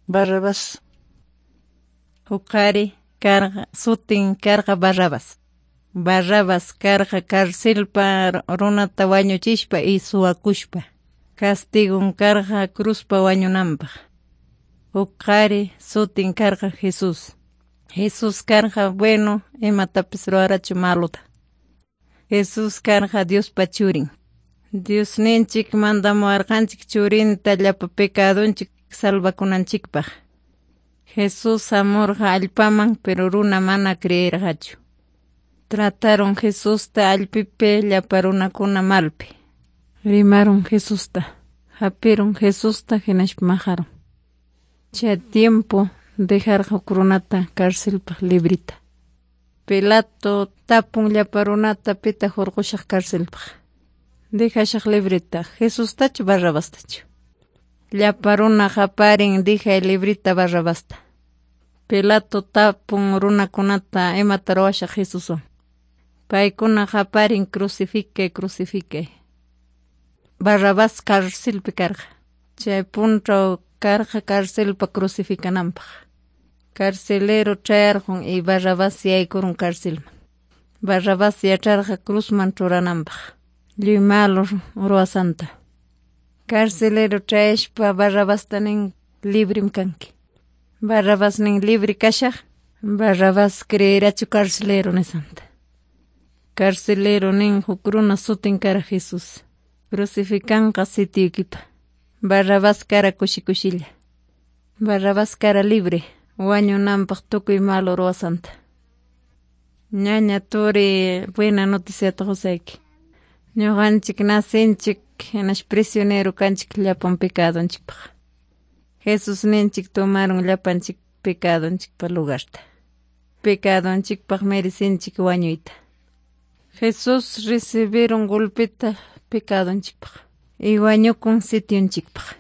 Barrabás. Huk qhari karqa, sutin karqa Barrabás. Barrabás karqa carcelpa runata wañuchispa y suwakushpa. Castigon karqa cruzpa wañunanpaq. Huk qhari sutin karqa Jesús. Jesús karqa bueno, imatapis ruwarachu malota. Jesús karqa Diospa churin. Diosninchik mandamuwarqanchik churinta llapa pecadonchik salvakunanchikpaq. Jesús hamurqa allpaman, pero runa mana creerqachu. Trataron Jesusta allpipi llapa runakuna malpi. Rimaron Jesusta, hapirun Jesusta hinaspa maqarun. Chay tiempo dejarqa huk runata carcelpaq librita. Pilato tapun llapa runata pitaq hurqushaq carcelpaq. Dejashaq librita, Jesustachu Barrabastachu. Llapa runa qaparin dejay librita Barrabasta. Pilato tapun runakunata imata ruwashaq Jesuswan. Paykuna qaparin crucificay, crucificay. Barrabás carcelpi karqa. Chay punchaw karqa carcelpa crucificananpaq. Carcelero chayarqun y Barrabás yaykurun carcelman. Barrabás yacharqa cruzman churananpaq. Lliw malo ruwasanta. Carcelero chayaspa Barrabasta nin librim kanki. Barrabás nin libre kashaq. Barrabás creerachu carcelero nisanta. Carcelero nin huk runa sutin kara Jesús. Crucificanqa sitiykipa. Barrabás kara kushi kushilla. Barrabás kara libre. Wañunanpaq tukuy malo ruwasanta. Ñaña turi buena noticiata qusayki. Ñuqanchik nacinchik hinaspa prisionero kanchik llapan pecadonchikpaq. Jesusninchik tomaron llapanchik pecadonchikpa lugarta. Pecadonchikpaq merecinchik wañuyta. Jesús recibieron golpeta pecadonchikpaq y wañukun sitionchikpaq.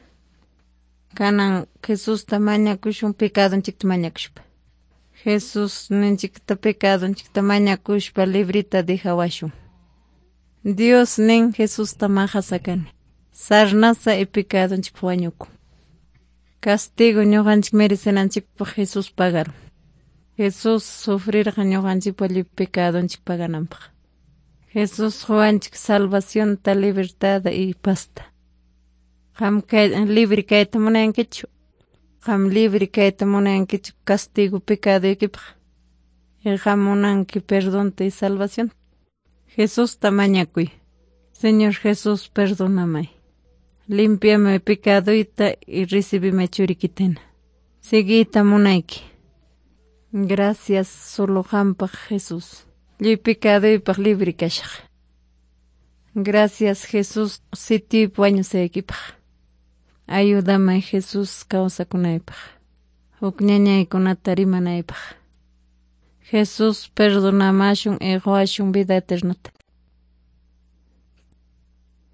Kanan Jesusta mañakushun pecadonchikta mañakushpa. Jesús ninchikta pecadonchikta mañakushpa librita dejawashun. Dios nin Jesusta maqasakani. Sarnasa y pecadonchikpaq wañukun. Castigo ñuqanchik merecenanchikpaq Jesús pagaron. Jesús sufrirqa ñuqanchikpa lliw pecadonchik pagananpaq. Jesús quwanchik salvacionta, libertad y pazta. Qam kay libre kayta munankichu. Qam libre kayta munankichu castigo pecadoykipaq. Y qam munanki perdonta y salvación. Jesusta mañakuy. Señor Jesús, perdóname. Límpiame pecadoyta y recíbeme churikitena. Siguita munayki. Gracias solo qampaq Jesús. Lliw pecadoypaq libre kashaq. Gracias Jesús sitiypi wañusaykipaq. Ayúdame Jesús kawsakunaypaq. Huk ñañaykunata rimanaypaq. Jesús perdonamashun y quwashun vida eternata.